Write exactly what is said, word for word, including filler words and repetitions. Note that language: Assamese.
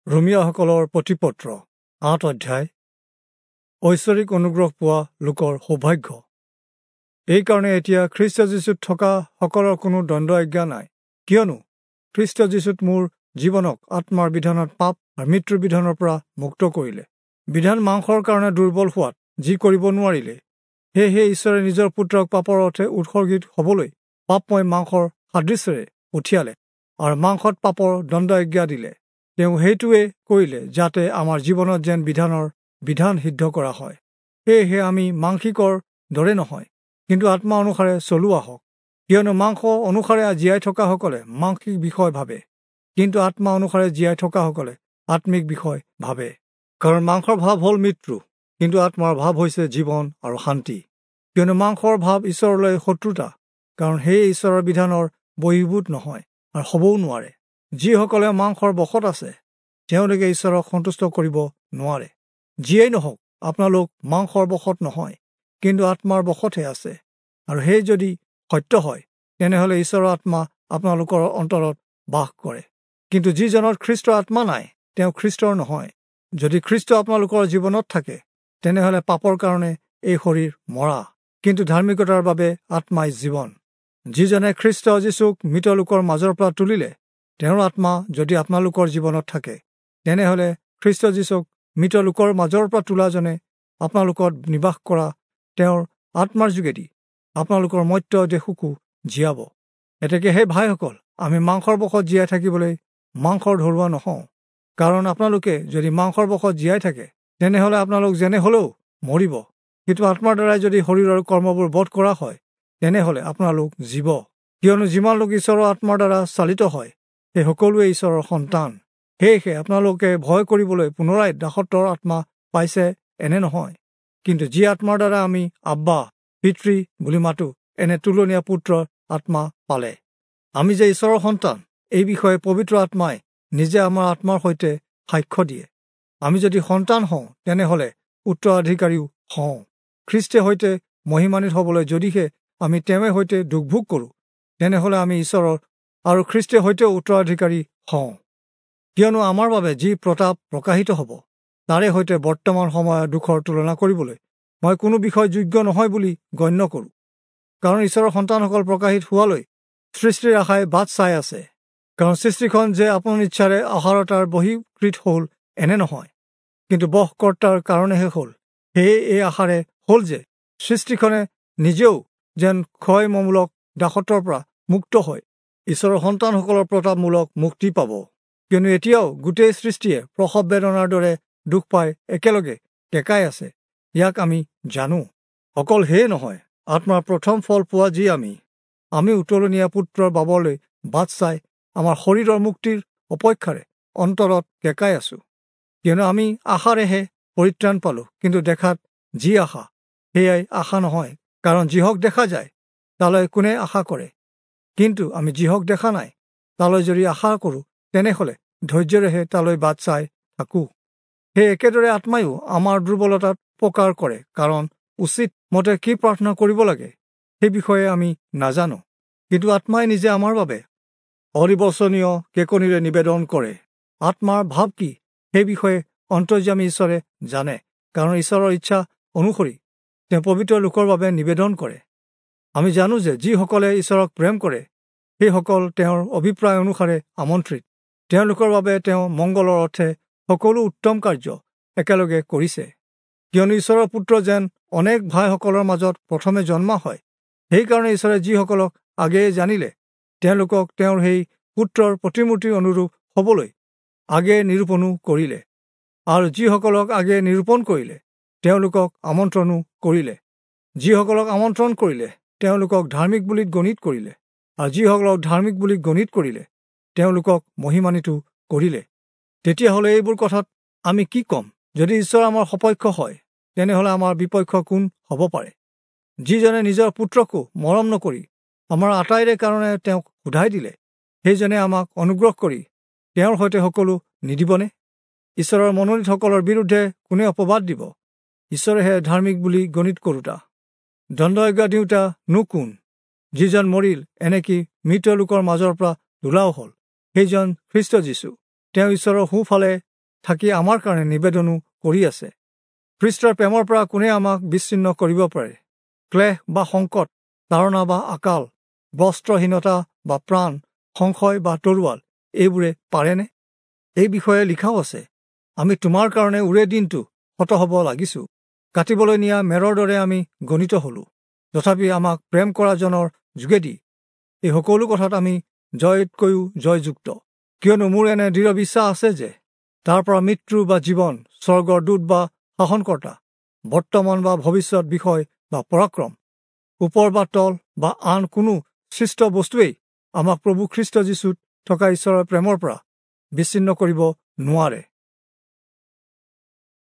ৰোমীয়াসকলৰ প্ৰতিপত্ৰ আঠ অধ্যায়। ঐশ্বৰিক অনুগ্ৰহ পোৱা লোকৰ সৌভাগ্য। এইকাৰণে এতিয়া খ্ৰীষ্ট যীশুত থকা সকলৰ কোনো দণ্ড আজ্ঞা নাই, কিয়নো খ্ৰীষ্ট যীশুত মোৰ জীৱনক আত্মাৰ বিধানত পাপ আৰু মৃত্যুৰ বিধানৰ পৰা মুক্ত কৰিলে। বিধান মাংসৰ কাৰণে দুৰ্বল হোৱাত যি কৰিব নোৱাৰিলে, সেয়েহে ঈশ্বৰে নিজৰ পুত্ৰক পাপৰ অৰ্থে উৎসৰ্গিত হ'বলৈ পাপময় মাংসৰ সাদৃশ্যেৰে পঠিয়ালে আৰু মাংসত পাপৰ দণ্ড আজ্ঞা দিলে। তেওঁ সেইটোৱে কৰিলে যাতে আমাৰ জীৱনত যেন বিধানৰ বিধান সিদ্ধ কৰা হয়। সেয়েহে আমি মাংসিকৰ দৰে নহয়, কিন্তু আত্মা অনুসাৰে চলোৱা হওক। কিয়নো মাংস অনুসাৰে জীয়াই থকাসকলে মাংসিক বিষয় ভাবে, কিন্তু আত্মা অনুসাৰে জীয়াই থকাসকলে আত্মিক বিষয় ভাবে। কাৰণ মাংসৰ ভাৱ হ'ল মৃত্যু, কিন্তু আত্মাৰ ভাৱ হৈছে জীৱন আৰু শান্তি। কিয়নো মাংসৰ ভাৱ ঈশ্বৰলৈ শত্ৰুতা, কাৰণ সেয়ে ঈশ্বৰৰ বিধানৰ বহিৰ্ভূত নহয় আৰু হ'বও নোৱাৰে। যিসকলে মাংসৰ বশত আছে তেওঁলোকে ঈশ্বৰক সন্তুষ্ট কৰিব নোৱাৰে। যিয়েই নহওক, আপোনালোক মাংসৰ বশত নহয়, কিন্তু আত্মাৰ বশতহে আছে। আৰু সেই যদি সত্য হয়, তেনেহ'লে ঈশ্বৰৰ আত্মা আপোনালোকৰ অন্তৰত বাস কৰে। কিন্তু যিজনত খ্ৰীষ্টৰ আত্মা নাই, তেওঁ খ্ৰীষ্টৰ নহয়। যদি খ্ৰীষ্ট আপোনালোকৰ জীৱনত থাকে, তেনেহ'লে পাপৰ কাৰণে এই শৰীৰ মৰা, কিন্তু ধাৰ্মিকতাৰ বাবে আত্মাই জীৱন। যিজনে খ্ৰীষ্ট যীশুক মৃত লোকৰ মাজৰ পৰা তুলিলে, তেওঁৰ আত্মা যদি আপোনালোকৰ জীৱনত থাকে, তেনেহ'লে খ্ৰীষ্ট যীশুক মৃত লোকৰ মাজৰ পৰা তোলাজনে আপোনালোকত নিবাস কৰা তেওঁৰ আত্মাৰ যোগেদি আপোনালোকৰ মৰ্ত্য দেশকো জীয়াব। এতেকে সেই ভাইসকল, আমি মাংসৰ বশত জীয়াই থাকিবলৈ মাংসৰ ধৰুৱা নহওঁ। কাৰণ আপোনালোকে যদি মাংসৰ বশত জীয়াই থাকে, তেনেহ'লে আপোনালোক যেনে হ'লেও মৰিব। কিন্তু আত্মাৰ দ্বাৰাই যদি শৰীৰৰ কৰ্মবোৰ বধ কৰা হয়, তেনেহ'লে আপোনালোক জীৱ। কিয়নো যিমান লোক ঈশ্বৰৰ আত্মাৰ দ্বাৰা চালিত হয়, সেই সকলোৱে ঈশ্বৰৰ সন্তান। সেয়েহে আপোনালোকে ভয় কৰিবলৈ পুনৰাই দাসত্বৰ আত্মা পাইছে এনে নহয়, কিন্তু যি আত্মাৰ দ্বাৰা আমি আব্বা পিতৃ বুলি মাতো, এনে তুলনীয়া পুত্ৰৰ আত্মা পালে। আমি যে ঈশ্বৰৰ সন্তান, এই বিষয়ে পবিত্ৰ আত্মাই নিজে আমাৰ আত্মাৰ সৈতে সাক্ষ্য দিয়ে। আমি যদি সন্তান হওঁ, তেনেহ'লে উত্তৰাধিকাৰীও হওঁ। খ্ৰীষ্টে সৈতে মহিমান্বিত হ'বলৈ যদিহে আমি তেওঁৰে সৈতে দুখ ভোগ কৰোঁ, তেনেহ'লে আমি ঈশ্বৰৰ আৰু খ্ৰীষ্টে সৈতেও উত্তৰাধিকাৰী হওঁ। কিয়নো আমাৰ বাবে যি প্ৰতাপ প্ৰকাশিত হ'ব, তাৰে সৈতে বৰ্তমান সময়ৰ দুখৰ তুলনা কৰিবলৈ মই কোনো বিষয় যোগ্য নহয় বুলি গণ্য কৰোঁ। কাৰণ ঈশ্বৰৰ সন্তানসকল প্ৰকাশিত হোৱালৈ সৃষ্টিৰ আশাই বাট চাই আছে। কাৰণ সৃষ্টিখন যে আপোনাৰ ইচ্ছাৰে আহাৰতাৰ বহিকৃত হ'ল এনে নহয়, কিন্তু বশকৰ্তাৰ কাৰণেহে হ'ল। সেয়ে এই আশাৰে হ'ল যে সৃষ্টিখনে নিজেও যেন ক্ষয়মূলক দাসত্বৰ পৰা মুক্ত হৈ ঈশ্বৰৰ সন্তানসকলৰ প্ৰতাপমূলক মুক্তি পাব। কিয়নো এতিয়াও গোটেই সৃষ্টিয়ে প্ৰসৱ বেদনাৰ দৰে দুখ পাই একেলগে কেঁকাই আছে, ইয়াক আমি জানো। অকল সেয়ে নহয়, আত্মাৰ প্ৰথম ফল পোৱা যি আমি, আমি উত্তৰণীয়া পুত্ৰৰ বাবলৈ বাট চাই আমাৰ শৰীৰৰ মুক্তিৰ অপেক্ষাৰে অন্তৰত কেঁকাই আছোঁ। কিয়নো আমি আশাৰেহে পৰিত্ৰাণ পালোঁ, কিন্তু দেখাত যি আশা সেয়াই আশা নহয়। কাৰণ যিহক দেখা যায় তালৈ কোনে আশা কৰে? কিন্তু আমি যিহক দেখা নাই তালৈ যদি আশা কৰোঁ, তেনেহ'লে ধৈৰ্যৰেহে তালৈ বাট চাই থাকোঁ। সেই একেদৰে আত্মায়ো আমাৰ দুৰ্বলতাত উপকাৰ কৰে, কাৰণ উচিত মতে কি প্ৰাৰ্থনা কৰিব লাগে সেই বিষয়ে আমি নাজানো, কিন্তু আত্মাই নিজে আমাৰ বাবে অনিৰ্বচনীয় কেকনিৰে নিবেদন কৰে। আত্মাৰ ভাৱ কি সেই বিষয়ে অন্তৰ্যামী ঈশ্বৰে জানে, কাৰণ ঈশ্বৰৰ ইচ্ছা অনুসৰি তেওঁ পবিত্ৰ লোকৰ বাবে নিবেদন কৰে। আমি জানো যে যিসকলে ঈশ্বৰক প্ৰেম কৰে, সেইসকল তেওঁৰ অভিপ্ৰায় অনুসাৰে আমন্ত্ৰিত। তেওঁলোকৰ বাবে তেওঁ মংগলৰ অৰ্থে সকলো উত্তম কাৰ্য একেলগে কৰিছে। কিয়নো ঈশ্বৰৰ পুত্ৰ যেন অনেক ভাইসকলৰ মাজত প্ৰথমে জন্মা হয়, সেইকাৰণে ঈশ্বৰে যিসকলক আগেয়ে জানিলে, তেওঁলোকক তেওঁৰ সেই পুত্ৰৰ প্ৰতিমূৰ্তিৰ অনুৰূপ হ'বলৈ আগেয়ে নিৰূপণো কৰিলে। আৰু যিসকলক আগেয়ে নিৰূপণ কৰিলে, তেওঁলোকক আমন্ত্ৰণো কৰিলে। যিসকলক আমন্ত্ৰণ কৰিলে, তেওঁলোকক ধাৰ্মিক বুলি গণিত কৰিলে। আৰু যিসকলক ধাৰ্মিক বুলি গণিত কৰিলে, তেওঁলোকক মহিমান্বিত কৰিলে। তেতিয়াহ'লে এইবোৰ কথাত আমি কি ক'ম? যদি ঈশ্বৰ আমাৰ সপক্ষ হয়, তেনেহ'লে আমাৰ বিপক্ষ কোন হ'ব পাৰে? যিজনে নিজৰ পুত্ৰকো মৰম নকৰি আমাৰ আটাইৰে কাৰণে তেওঁক সোধাই দিলে, সেইজনে আমাক অনুগ্ৰহ কৰি তেওঁৰ সৈতে সকলো নিদিবনে? ঈশ্বৰৰ মনোনীতসকলৰ বিৰুদ্ধে কোনে অপবাদ দিব? ঈশ্বৰেহে ধাৰ্মিক বুলি গণিত কৰোঁতা, দণ্ড আজ্ঞা দিওঁতা নো কোন? যিজন মৰিল, এনেকি মৃত লোকৰ মাজৰ পৰা তোলাও হ'ল, সেইজন খ্ৰীষ্ট যীশু। তেওঁ ঈশ্বৰৰ সোঁফালে থাকি আমাৰ কাৰণে নিবেদনো কৰি আছে। খ্ৰীষ্টৰ প্ৰেমৰ পৰা কোনে আমাক বিচ্ছিন্ন কৰিব পাৰে? ক্লেশ বা সংকট, তাৰণা বা আকাল, বস্ত্ৰহীনতা বা প্ৰাণ, সংশয় বা তৰোৱাল, এইবোৰে পাৰেনে? এই বিষয়ে লিখাও আছে, আমি তোমাৰ কাৰণে ওৰে দিনটো হত হ'ব লাগিছো, কাটিবলৈ নিয়া মেৰৰ দৰে আমি গণিত হলো। তথাপি আমাক প্ৰেম কৰাজনৰ যোগেদি এই সকলো কথাত আমি জয়তকৈও জয়যুক্ত। কিয়নো মোৰ এনে দৃঢ় বিশ্বাস আছে যে তাৰ পৰা মৃত্যু বা জীৱন, স্বৰ্গৰ দূত বা শাসনকৰ্তা, বৰ্তমান বা ভৱিষ্যত বিষয় বা পৰাক্ৰম, ওপৰ বা তল বা আন কোনো সৃষ্ট বস্তুৱেই আমাক প্ৰভু খ্ৰীষ্ট যীশুত থকা ঈশ্বৰৰ প্ৰেমৰ পৰা বিচ্ছিন্ন কৰিব নোৱাৰে।